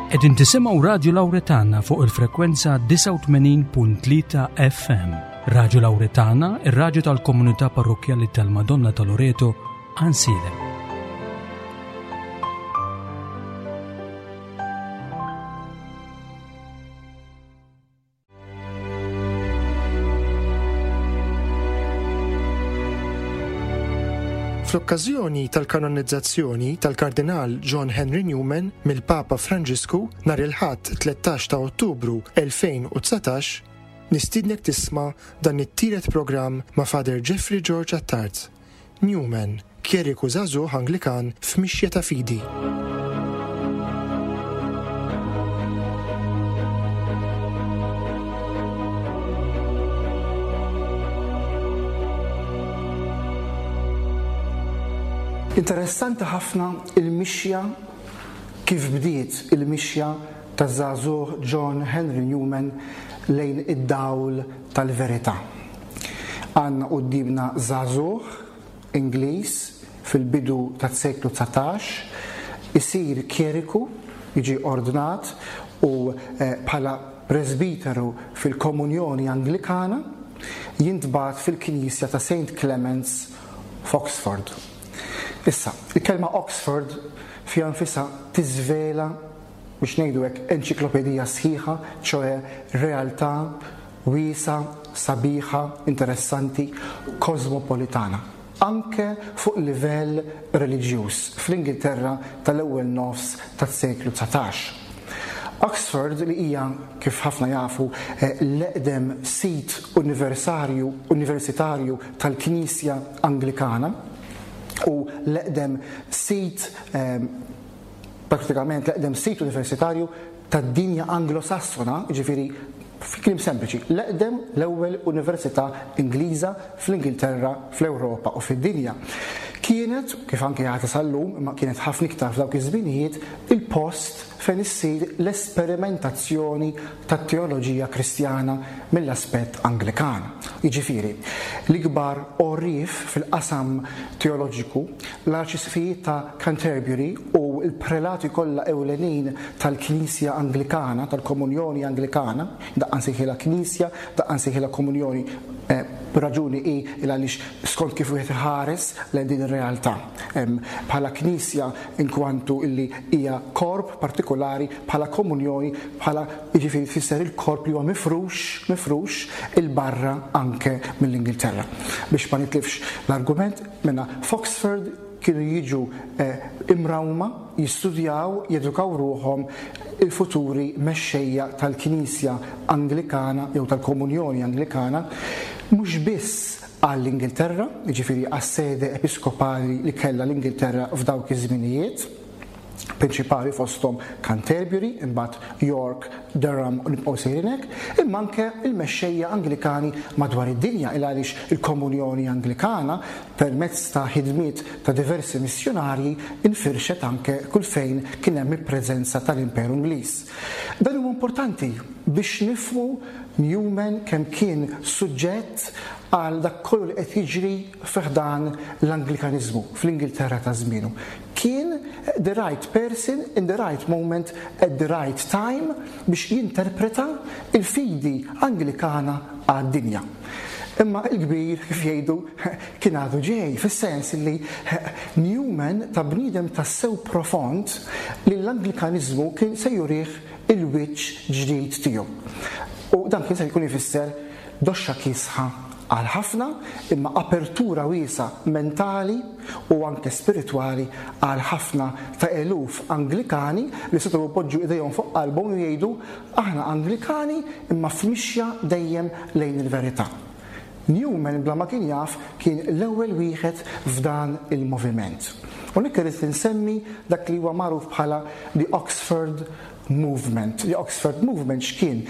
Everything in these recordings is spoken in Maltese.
Qegħdin tisimgħu Radju Lawretana fuq il-frekwenza 89.3 FM. Radju Lawretana, ir-radju tal-komunità parrokkjali tal-Madonna ta' Loreto, Għansielem. Fl-okkażjoni tal-kanonizzazzjoni tal-Kardinal John Henry Newman mill-Papa Franġisku nhar il-Ħadd 13 ta' Ottubru 2019, nistiednek tisma' dan it-tielet programm ma' Father Jeffrey George Attard. Newman, kjeriku żagħżugħ Anglikan f'mixja ta' fidi. Interessanti ħafna il-mixja kif bdiet il-mixja taż-żagħżugħ John Henry Newman lejn id-dawl tal-verità. Għandna quddiemna żagħżugħ Ingliż fil-bidu tas-seklu 19, isir kjeriku, jiġi ordnat u bħala presbiteru fil-Komunjoni Anglikana, jintbagħat fil-knisja ta' Saint Clements f'Oxford. Issa, il-kelma Oxford fiha nfisha tiżvela, biex ngħidu hekk, enċiklopedija sħiħa, ċoe realtà wiesgħa, sabiħa, interessanti, kożmopolitana, anke fuq livell reliġjuż fl-Ingilterra tal-ewwel nofs tas-seklu 19. Oxford, li hija, kif ħafna jafu, l-eqdem sit universarju universitarju tal-Knisja Anglikana u l-eqdem sit prattikament l-eqdem sit universitarju tad-dinja Anglo-Sassona, jiġifieri fi kliem sempliċi, l-eqdem l-ewwel università Ingliża fl-Ingilterra, fl-Ewropa u fid-dinja. Kienet, kif anke għadha sal-lum, imma kienet ħafna iktar f'dawk iż-żminijiet, il-post fejn issir l-esperimentazzjoni tat-teoloġija Kristjana mill-aspett Anglikan. Jiġifieri, l-ikbar għorrief fil-qasam teoloġiku, l-Arċisqfijiet ta' Canterbury u l-prelati kollha ewlenin tal-Knisja Anglikana, tal-Komunjoni Anglikana, daqqa nsejħilha Knisja, daqqa nsejħilha Komunjoni, b'raġuni hi il għaliex skont kif wieħed iħares lejn din ir-realtà. Bħala Knisja inkwantu illi hija korp partikulari, bħala komunjoni, bħala jiġifieri tfisser il-korp li huwa mifrux, mifrux 'il barra anke mill-Ingilterra. Biex ma nitlifx l-argument, mela f'Oxford kienu jiġu imrawma, jistudjaw, jedukaw ruħhom il-futuri mexxejja tal-Knisja Anglikana jew tal-Komunjoni Anglikana, mhux biss għall-Ingilterra, jiġifieri għas-sede episkopali li kellha l-Ingilterra f'dawk iż-żminijiet, prinċipali fosthom Canterbury, imbagħad York, Durham u nibqgħu sejrin hekk, imma anke l-mexxejja Anglikani madwar id-dinja il għaliex il-Komunjoni Anglikana permezz ta' ħidmiet ta' diversi missjunarji infirxet anke kull fejn kien hemm il-preżenza tal-Imperu Ingliż. Dan huwa importanti biex nifhmu Newman kemm kien suġġett għal dak kollu li qed jiġri fi ħdan l-Anglikaniżmu fl-Ingilterra ta' żmienu. Kien the right person in the right moment at the right time biex jinterpreta l-fidi Anglikana għad-dinja. Imma il-kbir, kif jgħidu, kien għadu ġej, fis-sens li Newman ta' bniedem tassew profond li l-Anglikaniżmu kien se jurih il-wiċċ ġdid tiegħu. U dan kien se jkun ifisser doxxa kiesħa għal ħafna, imma apertura wiesgħa mentali u anke spiritwali għal ħafna ta' eluf Anglikani li setgħu jpoġġu idejhom fuq qalbhom u jgħidu aħna Anglikani imma f'mixja dejjem lejn il-verità. Newman bla ma kien jaf kien l-ewwel wieħed f'dan il-moviment. Hawnhekk irrid insemmi dak li huwa magħruf bħala the Oxford Movement. The Oxford Movement x'kien?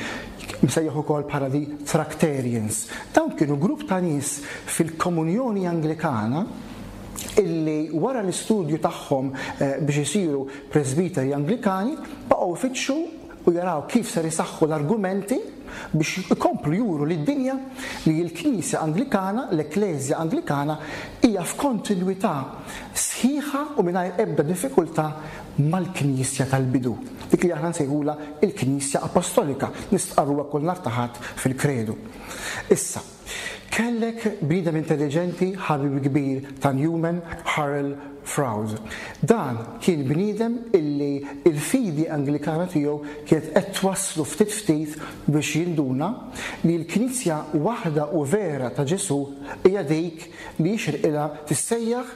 Msejjaħ ukoll bħala the Tractarians. Dawn kienu grupp ta' nies fil-Komunjoni Anglikana illi wara l-istudju tagħhom eh, biex isiru presbiteri Anglikani baqgħu ifittxu u jaraw kif ser isaħħu l-argumenti biex ikomplu juru lid-dinja li l-Knisja Anglikana, l-Ekkleżja Anglikana, hija f'kontinwità sħiħa. sħiħa u mingħajr ebda diffikultà mal-Knisja tal-bidu, dik li aħna nsejħulha l-Knisja Apostolika, nistqarruha kull nhar ta' Ħadd fil-Kredu. Issa, kellek bniedem intelliġenti, ħabib kbir ta' Newman, Harold Froude. Dan kien bniedem illi l-fidi Anglikana tiegħu kienet qed twasslu ftit ftit biex jinduna li l-Knisja waħda u vera ta' Ġesù hija dik li jixirqilha tissejjaħ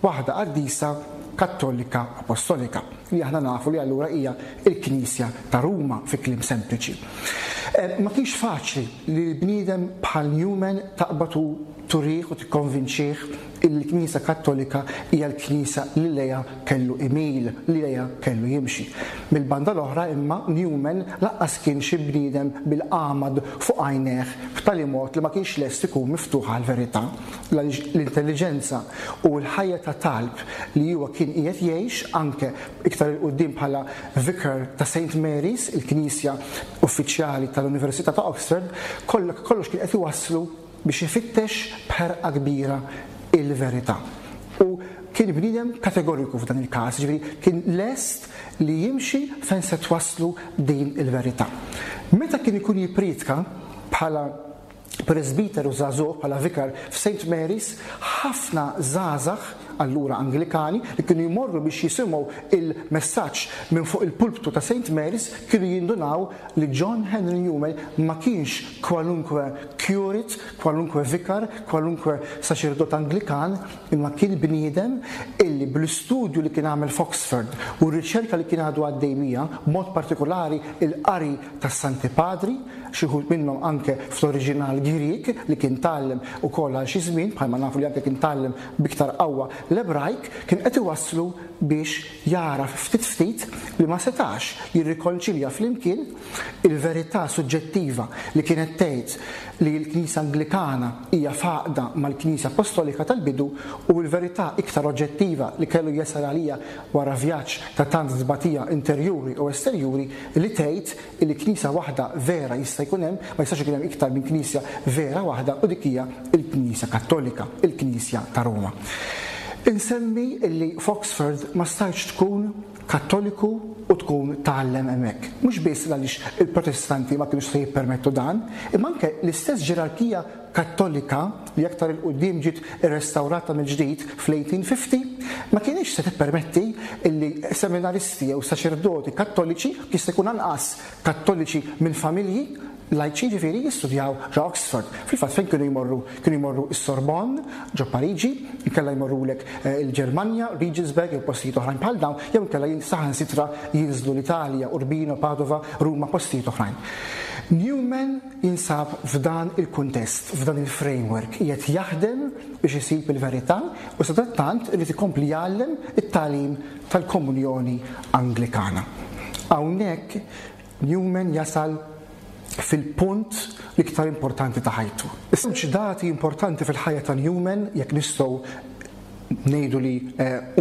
waħda qaddisa Kattolika Apostolika, li aħna nafu li allura hija l-Knisja ta' Ruma fi kliem sempliċi. Ma kienx faċli li l-bniedem bħal Newman taqbad u turih u tikkonvinċih illi l-Knisja Kattolika hija l-Knisja li lejha kellu imil, li lejha kellu jimxi. Mill-banda l-oħra imma Newman lanqas kien xi bniedem bil-għamad fuq għajnejh b'tali mod li ma kienx lest ikun miftuħ għall-verità, għaliex l-intelliġenza u l-ħajja ta' talb li huwa kien qiegħed jgħix anke iktar 'il quddiem bħala Vicar ta' Saint Mary's, il-knisja uffiċjali tal-Università ta' Oxford, kollox kien qed iwasslu biex ifittex b'ħerqa kbira il-verità. U kien bniedem kategoriku f'dan il-każ, jiġifieri kien lest li jimxi fejn se twasslu din il-verità. Meta kien ikun jippriedka bħala presbiteru żagħżugħ, bħala vikar f'Saint Mary's, ħafna żgħażagħ, allura Anglikani, li kienu jmorru biex jisimgħu il-messaġġ minn fuq il-pulptu ta' Saint Mary's kienu jindunaw li John Henry Newman ma kienx kwalunkwe curate, kwalunkwe vikar, kwalunkwe saċerdot Anglikan, imma kien bniedem illi bl-istudju li kien għamel f'Oxford u r-riċerka li kien għadu għaddej biha, b'mod partikolari l-qari tas-Santi Padri, xi wħud minnhom anke fl-oriġinal Grieg li kien tgħallem ukoll għal xi żmien, bħalma nafu li anke kien tgħallem b'iktar qawwa l-Ebrajk, kien qed iwasslu biex jagħraf ftit ftit li ma setax jirrikonċilja flimkien il-verità suġġettiva li kienet tgħid li l-Knisja Anglikana hija f'għaqda mal-Knisja Appostolika tal-bidu u l-verità iktar oġġettiva li kellu jasal għaliha wara vjaġġ ta' tant tbatija interjuri u esterjuri li tgħid li Knisja waħda vera jista' jkun hemm, ma jistax ikun hemm iktar minn Knisja vera waħda u dik hija l-Knisja Kattolika, il-Knisja ta' Ruma. Insemmi li f'Oxford ma stajtx tkun Kattoliku u tkun tgħallem hemmhekk. Mhux biss għaliex il-Protestanti ma kinux se jippermettu dan, imma anke l-istess ġerarkija Kattolika li aktar 'il quddiem ġiet irrestawrata mill-ġdid fl-1850 ma kinitx se tippermetti li seminaristi jew saċerdoti Kattoliċi, jista' jkun anqas Kattoliċi minn familji lajċi jiġifieri, jistudjaw ġo Oxford. Fil-fatt fejn kienu jmorru? Kienu jmorru s-Sorbonne ġo Pariġi, inkella jmorrulek il-Ġermanja, Regensburg jew postijiet oħrajn bħal dawn, jew inkella saħansitra jinżlu l-Italja, Urbino, Padova, Ruma, postijiet oħrajn. Newman jinsab f'dan il-kuntest, f'dan il-framework, qiegħed jaħdem biex isib il-verità u sadattant irid ikompli jgħallem it-tagħlim tal-Komunjoni Anglikana. Hawnhekk Newman jasal fil-punt l-iktar importanti ta' ħajtu. Żewġ dati importanti fil-ħajja ta' Newman, jekk nistgħu ngħidu li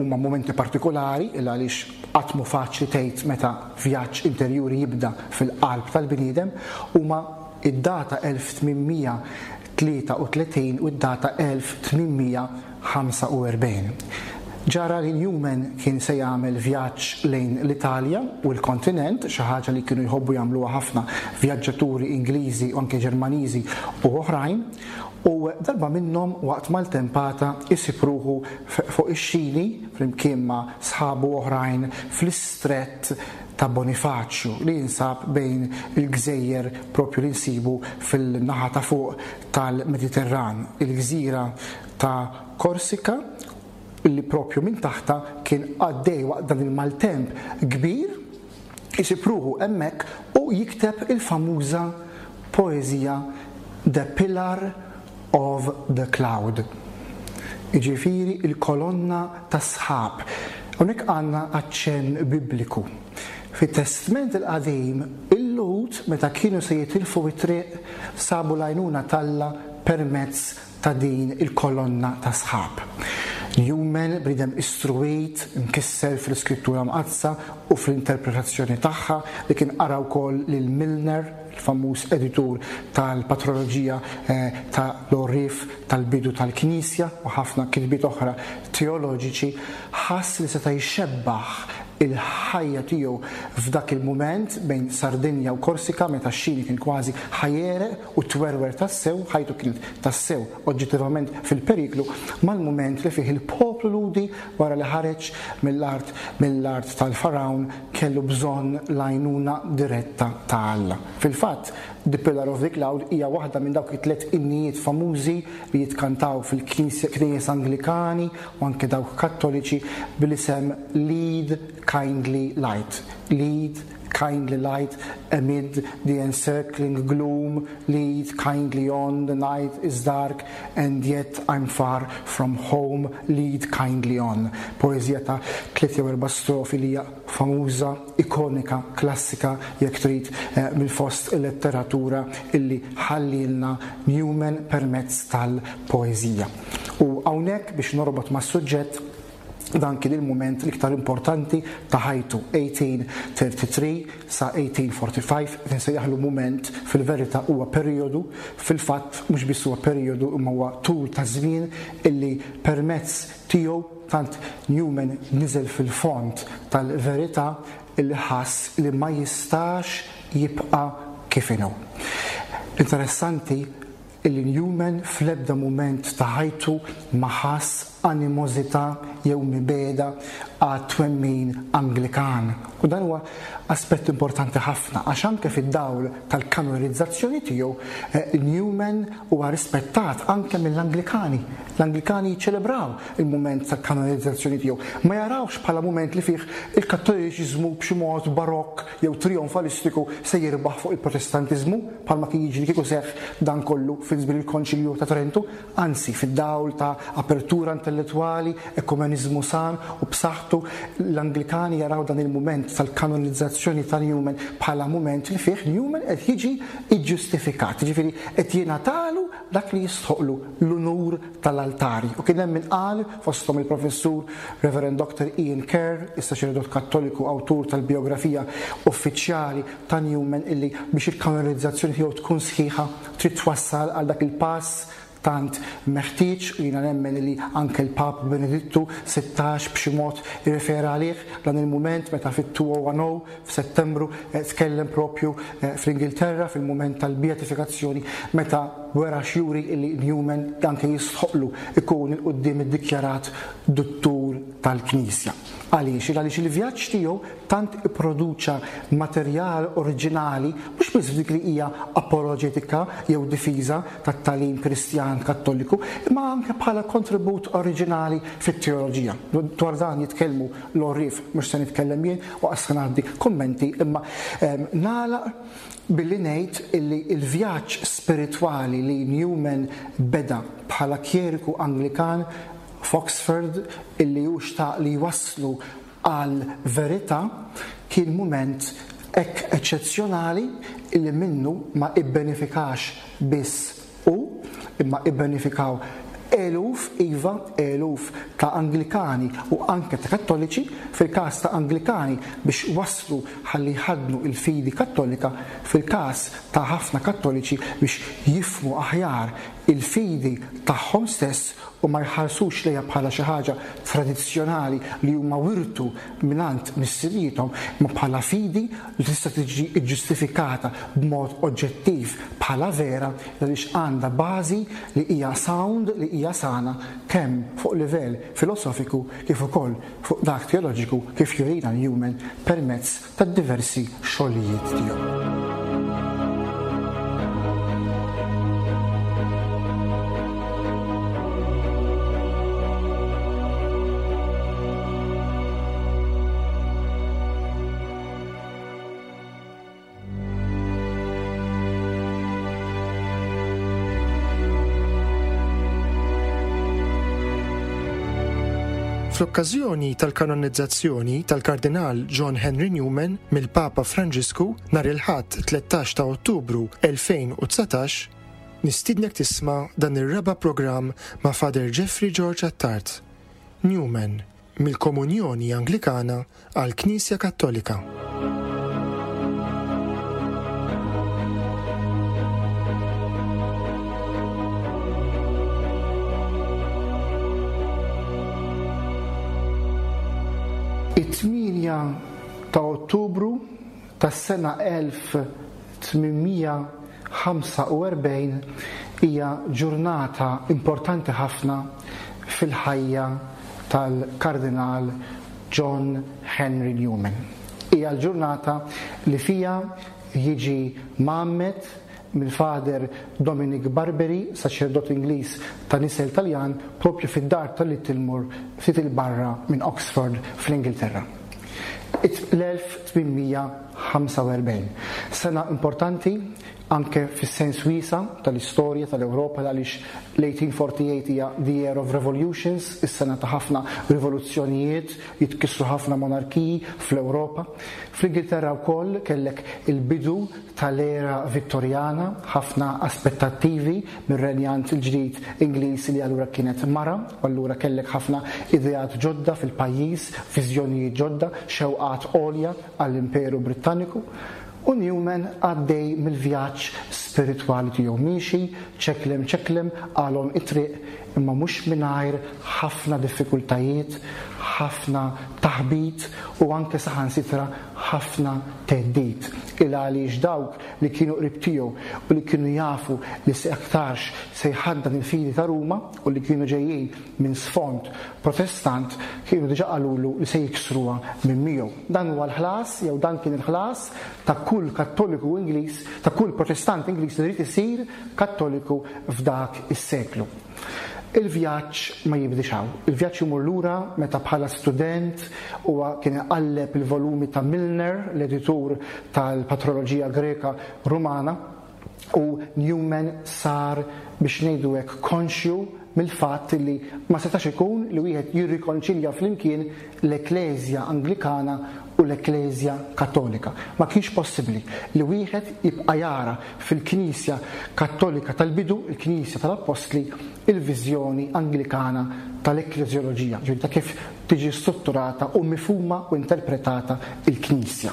huma mumenti partikolari, il għaliex qatt mhu faċli tgħid meta vjaġġ interjuri jibda fil-qalb tal-bniedem, huma d-data 1833 u d-data 1845. Ġara li Newman kien se jagħmel vjaġġ lejn l-Italja u l-kontinent, xi ħaġa li kienu jħobbu jagħmluha ħafna vjaġġaturi Ingliżi u anke Ġermaniżi u oħrajn, u darba minnhom waqt maltempata jsib ruħu fuq ix-xini flimkien ma' sħabu oħrajn fl-istrett ta' Bonifaċju li jinsab bejn il-gżejjer propju li nsibu fil-naħa ta' fuq tal-Mediterran, il-gżira ta' Korsika li propju minn taħtha kien għaddej waqt dan il-maltemp kbir, isib ruħu hemmhekk u jikteb il-famuża poeżija The Pillar of the Cloud. Jiġifieri l-kolonna tas-sħab. Hawnhekk għandna aċċenn Bibliku. Fit-Testment il-Qadim, il-Lhud meta kienu se jitilfu t-triq sabu l-għajnuna t'Alla permezz ta' din il-kolonna ta' sħab. Newman, bniedem istruwit, mkisser fl-Iskrittura Mqaddsa u fl-interpretazzjoni tagħha, li kien qara wkoll lil Milner, il-famuż editur tal-Patroloġija ta' l-Għorrief tal-bidu tal-Knisja u ħafna kitbiet oħra teoloġiċi, ħass li seta' jxebbaħ il-ħajja tiegħu f'dak il-mument bejn Sardinja u Korsika meta x-xini kien kważi ħa jegħreq u twerwer tassew, ħajtu kienet tassew oġġettivament fil-periklu, mal-mument li fih il-poplu Lhudi wara li ħareġ mill-art mill-art tal-Fargħun kellu bżonn l-għajnuna diretta ta' Alla. Fil-fatt, The Pillar of the Cloud hija waħda minn dawk it-tliet innijiet famużi li jitkantaw fil-knejjes Anglikani u anke dawk Kattoliċi bl-isem Lead Kindly Light. Lead kindly light amid the encircling gloom, lead kindly on, the night is dark and yet I'm far from home, lead kindly on. Poeżija ta' 43 strofi li hija famuża, ikonika, klassika jekk trid eh, mill-fost il-letteratura illi ħallilna Newman permezz tal-poeżija. U hawnhekk biex norbot mas-suġġett dan kien il-mument l-iktar importanti ta' ħajtu 1833 sa 1845 qed insejjaħlu mument fil-verità huwa perijodu fil-fatt mhux biss huwa perijodu imma huwa tul ta' żmien illi permezz tiegħu tant Newman niżel fil-fond tal-verità illi ħass li ma jistax jibqa' kif inhu. Interessanti illi Newman fl-ebda mument ta' ħajtu ma ħass animożità jew mibegħda għat-twemmin Anglikan. U dan huwa aspett importanti ħafna għax anke fid-dawl tal-kanonizzazzjoni tiegħu eh, Newman huwa rispettat anke mill-Anglikani. L-Anglikani jiċċelebraw il-mument tal-kanonizzazzjoni tiegħu. Ma jarawx bħala mument li fih il-Kattoliċiżmu b'xi mod barokk jew trijonfalistiku se jirbaħ fuq il-Protestantiżmu, bħalma kien jiġri kieku seħħ dan kollu fi żmien il-Konċilju ta' Trentu, anzi, fid-dawl ta' apertura intellettwali, ekumeniżmu san u b'saħħtu, l-Anglikani jaraw dan il-mument tal-kanonizzazzjoni ta' Newman bħala mument li fih Newman qed jiġi ġġustifikat, jiġifieri qed jingħatalu dak li jistħoqqlu, l-unur tal-altari. U kien hemm min qal, fosthom il-Professur Rev. Doctor Ian Kerr, is-saċerdot Kattoliku awtur tal-bijografija uffiċjali ta' Newman illi biex il-kanonizzazzjoni tiegħu tkun sħiħa trid twassal għal dak il-pass tant meħtieġ u jiena nemmen illi anke l-Papa Benedittu 16 b'xi mod irrefera għalih dan il-mument meta fit-2010 f'Settembru tkellem propju fl-Ingilterra fil-mument tal-beatifikazzjoni meta wera x'juri illi Newman anke jistħoqqlu ikun 'il quddiem iddikjarat Duttur tal-Knisja. Għaliex? Għaliex il-vjaġġ tiegħu tant ipproduċa materjal oriġinali mhux biss f'dik li hija apoloġetika jew difiża tat-tagħlim Kristjan Kattoliku, imma anke bħala kontribut oriġinali fit-teoloġija. Dwar dan jitkellmu l-għorrief, mhux se nitkellem jien u qas se ngħaddi kummenti, imma nagħlaq billi ngħid illi l-vjaġġ spiritwali li Newman beda bħala kjeriku Anglikan f'Oxford illi hu xtaq li jwasslu għall-verità kien mument hekk eċċezzjonali illi minnu ma ibbenefikax biss hu, imma ibbenefikaw eluf, iva, eluf ta' Anglikani u anke ta' Kattoliċi, fil-każ ta' Anglikani biex waslu ħalli jħaddnu l-fidi Kattolika, fil-każ ta' ħafna Kattoliċi biex jifhmu aħjar il-fidi tagħhom stess u ma jħarsux lejha bħala xi ħaġa tradizzjonali li huma wirtu mingħand missirijiethom, imma bħala fidi li tista' tiġi ġġustifikata b'mod oġġettiv bħala vera għaliex għandha bażi li hija sound, li hija sana kemm fuq livell filosofiku kif ukoll fuq dak teoloġiku kif jurina Newman permezz tad-diversi xogħlijiet tiegħu. Fl-okkażjoni tal-kanonizzazzjoni tal-Kardinal John Henry Newman mill-Papa Franġisku nhar il-Ħadd 13 ta' Ottubru 2019, nistiednek tisma' dan ir-raba' programm ma' Father Jeffrey George Attard. Newman, mill-Komunjoni Anglikana għall-Knisja Kattolika. It-8 ta' Ottubru tas-sena 1845 hija ġurnata importanti ħafna fil-ħajja tal-Kardinal John Henry Newman. Hija l-ġurnata li fiha jiġi mgħammed mill-Father Dominic Barberi, saċerdot Ingliż ta' nisel Taljan, proprju fid-dar ta' Littlemore ftit 'il barra minn Oxford fl-Ingilterra. L-1845. Sena importanti anke fis-sens wiesa' tal-istorja tal-Ewropa għaliex l-1848 hija the year of revolutions, is-sena ta' ħafna rivoluzzjonijiet, jitkissru ħafna monarkiji fl-Ewropa. Fl-Ingilterra wkoll kellek il-bidu tal-era Vittorjana, ħafna aspettattivi mir-renjant il-ġdid Ingliż li allura kienet mara, u allura kellek ħafna ideat ġodda fil-pajjiż, viżjonijiet ġodda, xewqat għolja għall-Imperu Brittaniku. U Newman għaddej mill-vjaġġ spiritwali tiegħu miexi, ċeklem ċeklem għal għonq it-triq, imma mhux mingħajr ħafna diffikultajiet, ħafna taħbit u anke saħansitra ħafna theddid. Il għaliex dawk li kienu qrib tiegħu u li kienu jafu li se aktarx se jħaddan il-fidi ta' Ruma u li kienu ġejjin minn sfond Protestant kienu diġà qalulu li se jiksruha minn miegħu. Dan huwa l-ħlas jew dan kien il-ħlas ta' kull Kattoliku Ingliż, ta' kull Protestant Ingliż li ried isir Kattoliku f'dak is-seklu. Il-vjaġġ ma jibdiex hawn. Il-vjaġġ imur lura meta bħala student huwa kien iqalleb il-volumi ta' Milner, l-editur tal-Patroloġija Greka Rumana, u Newman sar biex ngħidu hekk konxju mill-fatt li ma setax ikun li wieħed jirrikonċilja flimkien l-Ekkleżja Anglikana u l-Ekkleżja Kattolika. Ma kienx possibbli li wieħed jibqa' jara fil-Knisja Kattolika tal-bidu, il-Knisja tal-Appostli, il-viżjoni Anglikana tal-ekkleżjoloġija, ġifieri ta' kif tiġi strutturata u mifhuma u interpretata l-Knisja.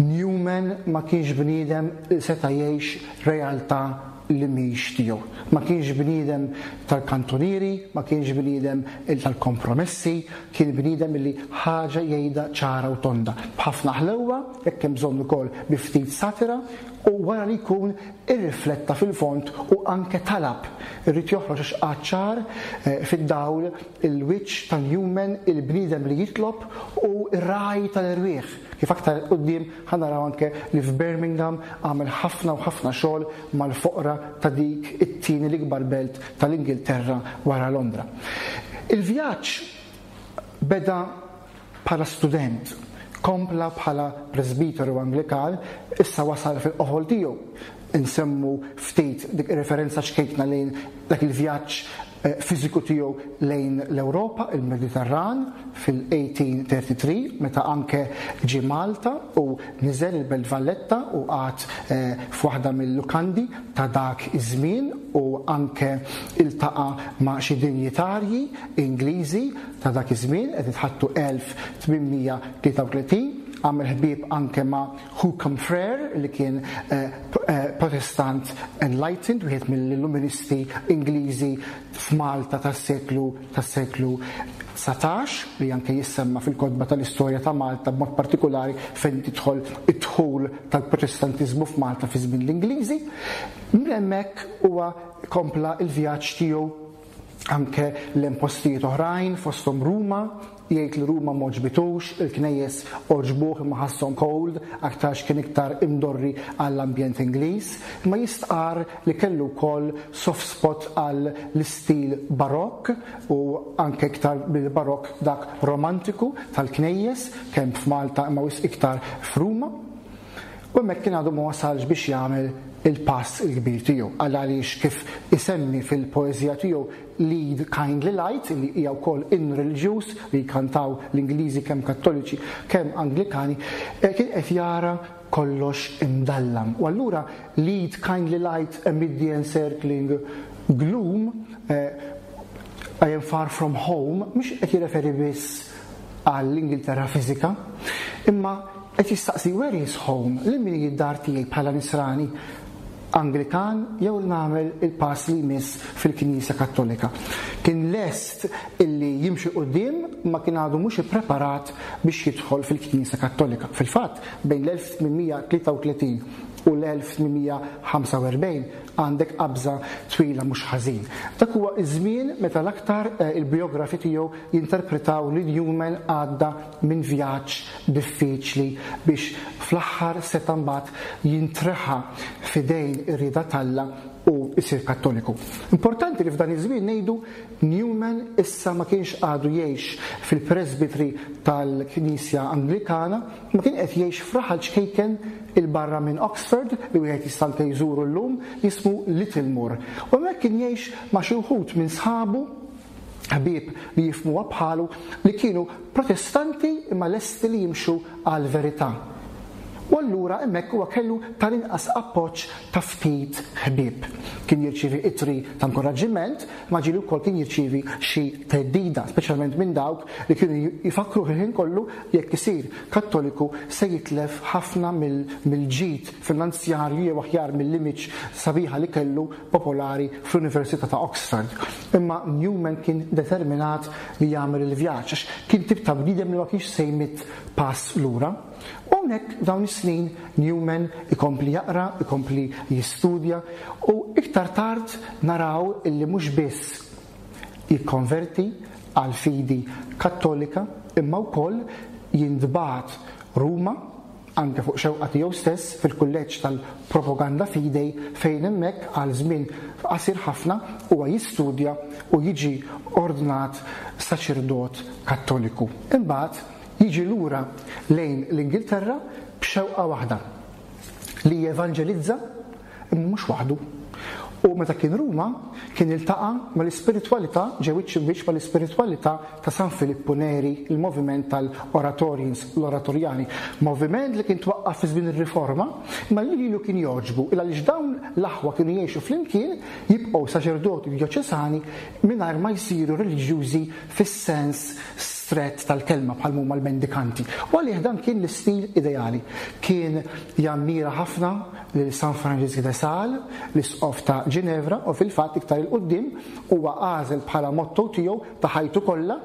Newman ma kienx bniedem li seta' jgħix realtà li mhix tiegħu. Ma kienx bniedem tal-kantunieri, ma kienx bniedem tal-kompromessi, kien bniedem li ħaġa jgħidha ċara u tonda, b'ħafna ħlewwa, jekk hemm bżonn ukoll bi ftit satira, u wara li jkun irrifletta fil-fond u anke talab. Irid joħroġ għax għad ċar fid-dawl il-wiċċ ta' Newman, il-bniedem li jitlob u r-ragħaj tal-erwieħ. Kif aktar 'il quddiem ħa naraw anke li f'Birmingham għamel ħafna u ħafna xogħol mal-foqra ta' dik it-tieni l-ikbar belt tal-Ingilterra wara Londra. Il-vjaġġ beda bħala student, kompla bħala presbiteru Anglikan, issa wasal fil-qofol tiegħu. Insemmu ftit dik ir-referenza ċkejkna lejn dak il-vjaġġ fiżiku tiegħu lejn l-Ewropa, il-Mediterran, fil-1833, meta anke ġie Malta u niżel il-Belt Valletta u qagħad f'waħda mil-lukandi ta' dak iż-żmien u anke iltaqa' ma' xi dinjitarji Ingliżi ta' dak iż-żmien, qed nitħaddtu 1833, għamel ħbieb anke ma' Hookham Frere li kien Protestant Enlightened, wieħed mill-Illuministi Ingliżi f'Malta tas-seklu tas-seklu 19, li anke jissemma fil-kotba tal-istorja ta' Malta b'mod partikulari fejn tidħol id-dħul tal-Protestantiżmu f'Malta fi żmien l-Ingliżi. Minn hemmhekk huwa kompla l-vjaġġ tiegħu anke lejn postijiet oħrajn fosthom Ruma, Jgħid li Ruma m'għoġbitux, il-knejjes għoġbuh imma ħasshom cold, aktarx kien iktar imdorri għall-ambjent Ingliż, imma jistqarr li kellu wkoll soft spot għal l-istil Barokk u anke iktar mill-Barokk dak Romantiku tal-knejjes, kemm f'Malta imma wisq iktar f'Ruma. U hemmhekk kien għadu ma wasalx biex jagħmel il-pass il-kbir tiegħu, għaliex kif isemmi fil-poeżija tiegħu Lead Kindly Light, li hija wkoll innu reliġjuż li jkantaw l-Ingliżi kemm Kattoliċi kemm Anglikani, kien qed jara kollox imdallam. U allura Lead Kindly Light amid the encircling gloom. I am far from home mhux qed jirreferi biss għall-Ingilterra fiżika, imma qed jistaqsi where is home, lil min hi d-dar tiegħi bħala Nisrani Anglikan jew nagħmel il-pass li jmiss fil-Knisja Kattolika. Kien lest illi jimxi quddiem ma kien għadu mhux ippreparat biex jidħol fil-Knisja Kattolika. Fil-fatt, bejn l-1833 u l-1845 għandek qabża twila mhux ħażin. Dak huwa ż-żmien meta l-aktar il-bijografi tiegħu jinterpretaw li Newman għadda minn vjaġġ diffiċli biex fl-aħħar seta' mbagħad jintreħa f'idejn ir-rieda t'Alla u jsir Kattoliku. Importanti li f'dan iż-żmien ngħidu Newman issa ma kienx għadu jgħix fil-presbytery tal-Knisja Anglikana, imma kien qed jgħix f'raħal ċkejken 'il barra minn Oxford li wieħed jista' anke jżuru llum jismu Littlemore. U hemmhekk kien jgħix ma' xi wħud minn sħabu, ħbieb li jifhmuha bħalu, li kienu Protestanti imma lesti li jimxu għall-verità. U allura hemmhekk huwa kellu tal-inqas appoġġ ta' ftit ħbieb. Kien jirċievi ittri ta' inkoraġġiment, imma ġieli wkoll kien jirċievi xi theddida, speċjalment minn dawk li kienu jfakkruh il-ħin kollu li jekk isir Kattoliku se jitlef ħafna mill-ġid finanzjarju jew aħjar mill-image sabiħa li kellu popolari fl-Università ta' Oxford. Imma Newman kien determinat li jagħmel il-vjaġġ għax kien tip ta' bniedem li ma kienx se jmidd pass lura. U hawnhekk f'dawn is-snin Newman ikompli jaqra, ikompli jistudja u iktar tard naraw illi mhux biss jikkonverti għall-fidi Kattolika imma wkoll jintbagħat Ruma anke fuq xewqa tiegħu stess fil-kulleġġ tal-Propaganda Fidei fejn hemmhekk għal żmien qasir ħafna huwa jistudja u jiġi ordnat saċerdot Kattoliku. Imbagħad jiġi lura lejn l-Ingilterra b'xewqa waħda, li jevanġelizza imma mhux waħdu. U meta kien Ruma, kien iltaqa' mal-ispiritwalità, ġew wiċċ imb'wiċċ mal-ispiritwalità ta' San Filippu Neri, il-moviment tal-Oratorians, l-Oratorjani, moviment li kien twaqqaf fi żmien ir-Riforma, imma li lilu kien jogħġbu, il għaliex dawn l-aħwa kienu jgħixu flimkien, jibqgħu saċerdoti djoċesani mingħajr ma jsiru reliġjużi fis-sens strett tal-kelma bħal m'huma l-mendikanti. U għalih dan kien l-istil ideali. Kien jammira ħafna lil San Franġisk de Sales, l-Isqof ta' Ġinevra, u fil-fatt iktar 'il quddiem huwa għażel bħala motto tiegħu ta' ħajtu kollha,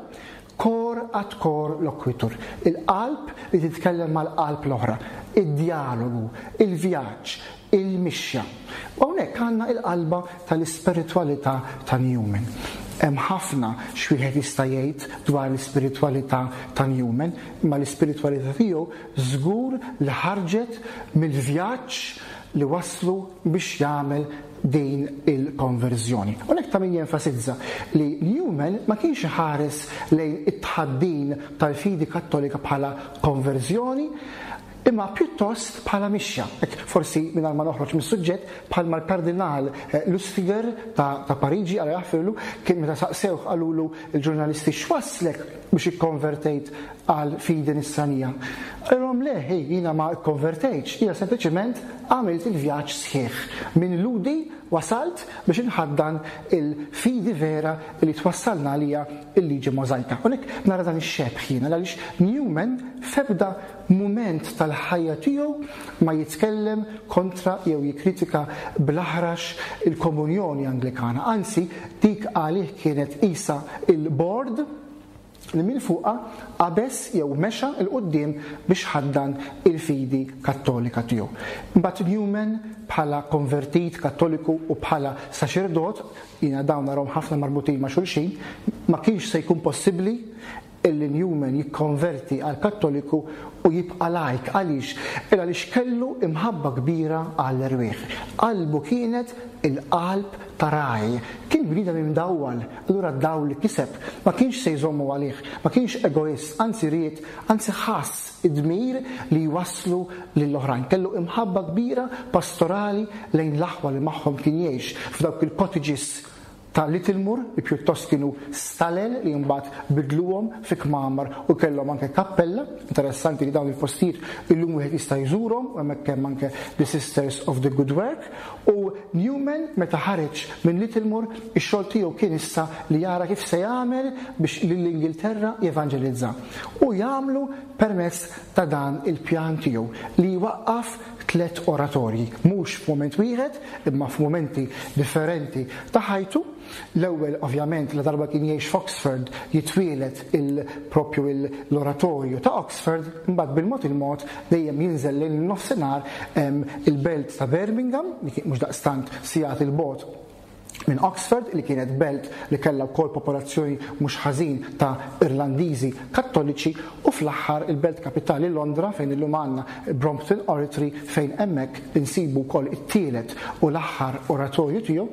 Cor ad cor loquitur, il-qalb li titkellem mal-qalb l-oħra, id-djalogu, il-vjaġġ, il-mixja. U hawnhekk għandna il-qalba tal-ispiritwalità ta' Newman. Hemm ħafna x'wieħed jista' jgħid dwar l-ispiritwalità ta' Newman, imma l-ispiritwalità tiegħu żgur li ħarġet mill-vjaġġ li wasslu biex jagħmel din il-konverżjoni. Hawnhekk ta' min jenfasizza li Newman ma kienx iħares lejn it-tħaddin tal-fidi Kattolika bħala konverżjoni, imma pjuttost bħala mixja. Hekk forsi mingħajr ma noħroġ mis-suġġett, bħalma l-Kardinal Lustiger ta' ta' Pariġi, Alla jaħfirlu, kien meta saqsewh qalulu l-ġurnalisti x'wasslek biex ikkonvertejt għal fidi nisranija. Qalilhom le, hi, jiena ma kkonvertejtx, jiena sempliċement għamilt il-vjaġġ sħiħ. Minn Lhudi wasalt biex inħaddan il-fidi vera li twassalna għaliha l-liġi Możajka. U hekk nara dan ix-xebh jiena għaliex Newman f'ebda mument tal-ħajja tiegħu ma jitkellem kontra jew jikkritika bl-aħrax il-komunjoni Anglikana, anzi dik għalih kienet qisha il-bord li minn fuqha qabeż jew mexa 'l quddiem biex ħaddan il-fidi Kattolika tiegħu. Imbagħad Newman bħala konvertit Kattoliku u bħala saċerdot, jiena dawn narahom ħafna marbutin ma' xulxin, ma kienx se jkun possibbli illi Newman jikkonverti għal Kattoliku u jibqa' lajk. Għaliex? Il għaliex kellu imħabba kbira għall-erwieħ. Qalbu kienet il-qalb ta' ragħaj. Kien bniedem imdawwal, allura d-dawl li kiseb ma kienx se jżommu għalih, ma kienx egoist, anzi ried, anzi ħass id-dmir li jwasslu lill-oħrajn. Kellu imħabba kbira pastorali lejn l-aħwa li magħhom kien jgħix f'dawk il-cottages. ta' Littlemore li pjuttost kienu stalel li mbagħad bidluhom fi kmamar u kellhom anke kappella. Interessanti li dawn il-postijiet illum wieħed jista' jżurhom u hemmhekk hemm anke the Sisters of the Good Work. U Newman meta ħareġ minn Littlemore ix-xogħol tiegħu kien issa li jara kif se jagħmel biex lill-Ingilterra jevanġelizza. U jagħmlu permezz ta' dan il-pjan tiegħu li jwaqqaf tlett oratorji, mhux f'mument wieħed imma f'mumenti differenti ta' ħajtu. L-ewwel ovvjament ladarba kien jgħix f'Oxford jitwieled il propju l-oratorju ta' Oxford, imbagħad bil-mod il-mod dejjem jinżel lejn in-nofsinhar il-belt ta' Birmingham li kien mhux daqstant sigħat 'il bogħod minn Oxford, li kienet belt li kellha wkoll popolazzjoni mhux ħażin ta' Irlandiżi Kattoliċi, u fl-aħħar il-belt kapitali Londra fejn illum għandna Brompton Oratory fejn hemmhekk insibu wkoll it-tielet u l-aħħar oratorju tiegħu.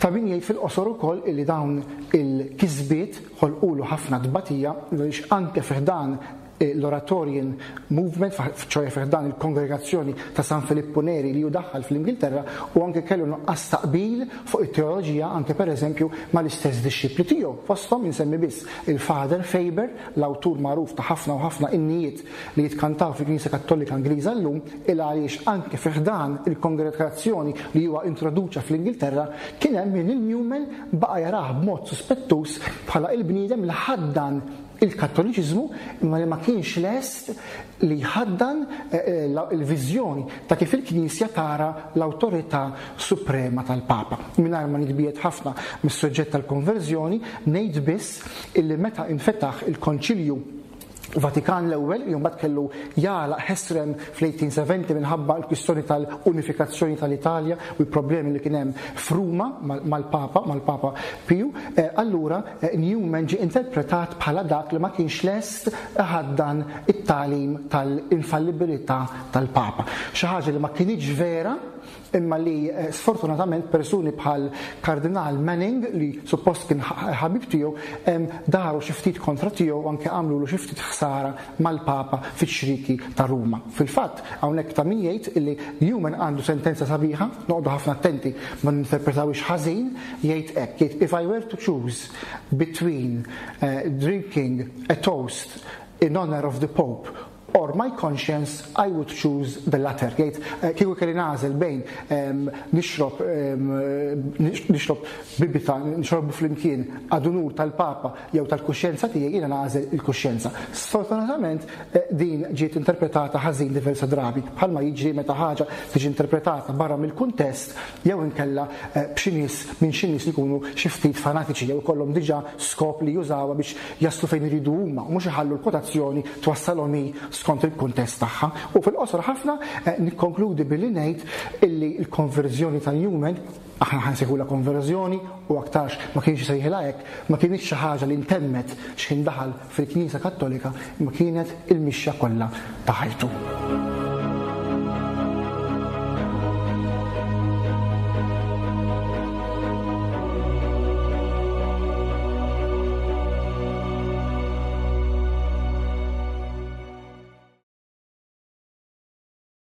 Ta' min jgħid fil-qosor ukoll illi dawn il-kisbiet ħolqulu ħafna tbatija għaliex anke fi ħdan l-Oratorian Movement, ċoe fi ħdan il-Kongregazzjoni ta' San Filippu Neri li hu daħħal fl-Ingilterra u anke kellu nuqqas ta' qbil fuq it-teoloġija anke pereżempju mal-istess dixxipli tiegħu. Fosthom insemmi biss il-Father Faber, l-awtur magħruf ta' ħafna u ħafna innijiet li jitkantaw fil-Knisja Kattolika Ingliża llum, il għaliex anke fi ħdan il-kongregazzjoni li huwa introduċa fl-Ingilterra kien hemm min lil Newman baqa' jarah b'mod suspettuż bħala il-bniedem li ħaddan il-Kattoliċiżmu imma li ma kienx lest li jħaddan il-viżjoni ta' kif il-Knisja tara l-awtorità suprema tal-Papa. Mingħajr ma nitbiegħed ħafna mis-suġġett tal-konverżjoni, ngħid biss illi meta infetaħ il-Konċilju Vatikan l-ewwel, li mbagħad kellu jagħlaq ħesrem fl-1870 minħabba l-kwistjoni tal-unifikazzjoni tal-Italja u l-problemi li kien hemm f'Ruma mal-Papa, mal-Papa Piju, allura Newman ġie interpretat bħala dak li ma kienx lest iħaddan it-tagħlim tal-infallibilità tal-Papa. Xi ħaġa li ma kinitx vera, imma li sfortunatament persuni bħal Kardinal Manning li suppost kien ħabib tiegħu daru xi ftit kontra tiegħu u anke għamlulu xi ftit ħsara mal-Papa fiċ-ċrieki ta' Ruma. Fil-fatt, hawnhekk ta' min jgħid illi Newman għandu sentenza sabiħa, noqogħdu ħafna attenti ma ninterpretawhiex ħażin, jgħid hekk, jgħid if I were to choose between drinking a toast in honor of the Pope or my conscience, I would choose the latter. Jgħid, kieku kelli nagħżel bejn nixrob nixrob bibita, nixorbu flimkien ad unur tal-Papa jew tal-kuxjenza tiegħi, jiena nagħżel il-kuxjenza. Sfortunatament din ġiet interpretata ħażin diversa drabi, bħalma jiġri meta ħaġa tiġi interpretata barra mill-kuntest jew inkella b'xi nies minn xi nies li jkunu xi ftit fanatiċi jew ikollhom diġà skop li jużawha biex jaslu fejn iridu huma u mhux iħallu l-kwotazzjoni twassalhom hi skont il-kuntest tagħha. U fil-qosor ħafna nikkonkludi billi ngħid illi l-konverżjoni ta' Newman, aħna ħa nsejħulha konverżjoni u aktarx ma kienx isejħilha hekk, ma kinitx xi ħaġa li ntemmet x'ħin daħal fil-Knisja Kattolika imma kienet il-mixja kollha ta' ħajtu.